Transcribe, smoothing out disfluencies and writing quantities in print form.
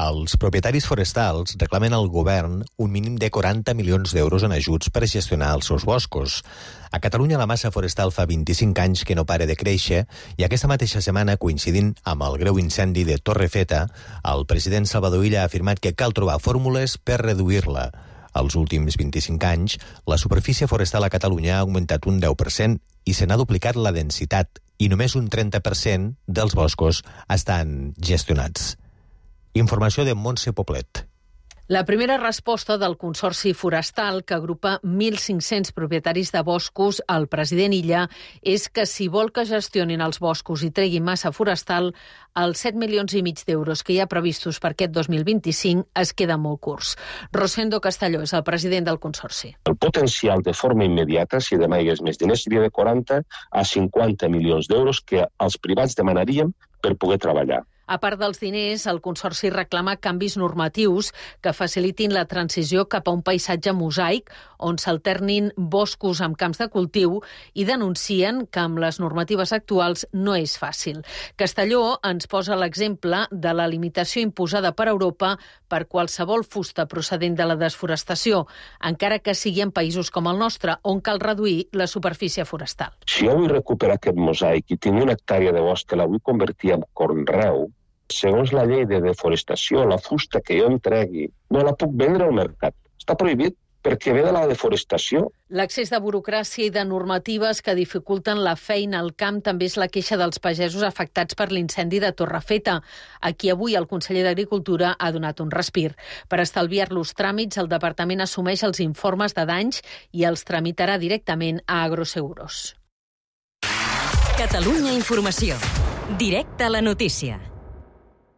Els propietaris forestals reclamen al govern un mínim de 40 milions d'euros en ajuts per gestionar els seus boscos. A Catalunya la massa forestal fa 25 anys que no para de créixer i aquesta mateixa setmana, coincidint amb el greu incendi de Torrefeta, el president Salvador Illa ha afirmat que cal trobar fórmules per reduir-la. Als últims 25 anys, la superfície forestal a Catalunya ha augmentat un 10% i se n'ha duplicat la densitat i només un 30% dels boscos estan gestionats. Informació de Montse Poblet. La primera resposta del Consorci Forestal, que agrupa 1.500 propietaris de boscos, al president Illa, és que si vol que gestionin els boscos i treguin massa forestal, els 7,5 milions d'euros que hi ha previstos per aquest 2025 es queden molt curts. Rosendo Castelló és el president del Consorci. El potencial de forma immediata, si demà hi hagués més diners, seria de 40 a 50 milions d'euros que els privats demanaríem per poder treballar. A part dels diners, el Consorci reclama canvis normatius que facilitin la transició cap a un paisatge mosaic on s'alternin boscos amb camps de cultiu i denuncien que amb les normatives actuals no és fàcil. Castelló ens posa l'exemple de la limitació imposada per Europa per qualsevol fusta procedent de la desforestació, encara que sigui en països com el nostre, on cal reduir la superfície forestal. Si jo vull recuperar aquest mosaic i tinc una hectàrea de bosc que la vull convertir en conreu, segons la llei de deforestació, la fusta que jo em tregui, no la puc vendre al mercat. Està prohibit perquè ve de la deforestació. L'accés de burocràcia i de normatives que dificulten la feina al camp també és la queixa dels pagesos afectats per l'incendi de Torrefeta. Aquí avui el conseller d'Agricultura ha donat un respir. Per estalviar-los tràmits, el departament assumeix els informes de danys i els tramitarà directament a Agroseguros. Catalunya Informació. Directe a la notícia.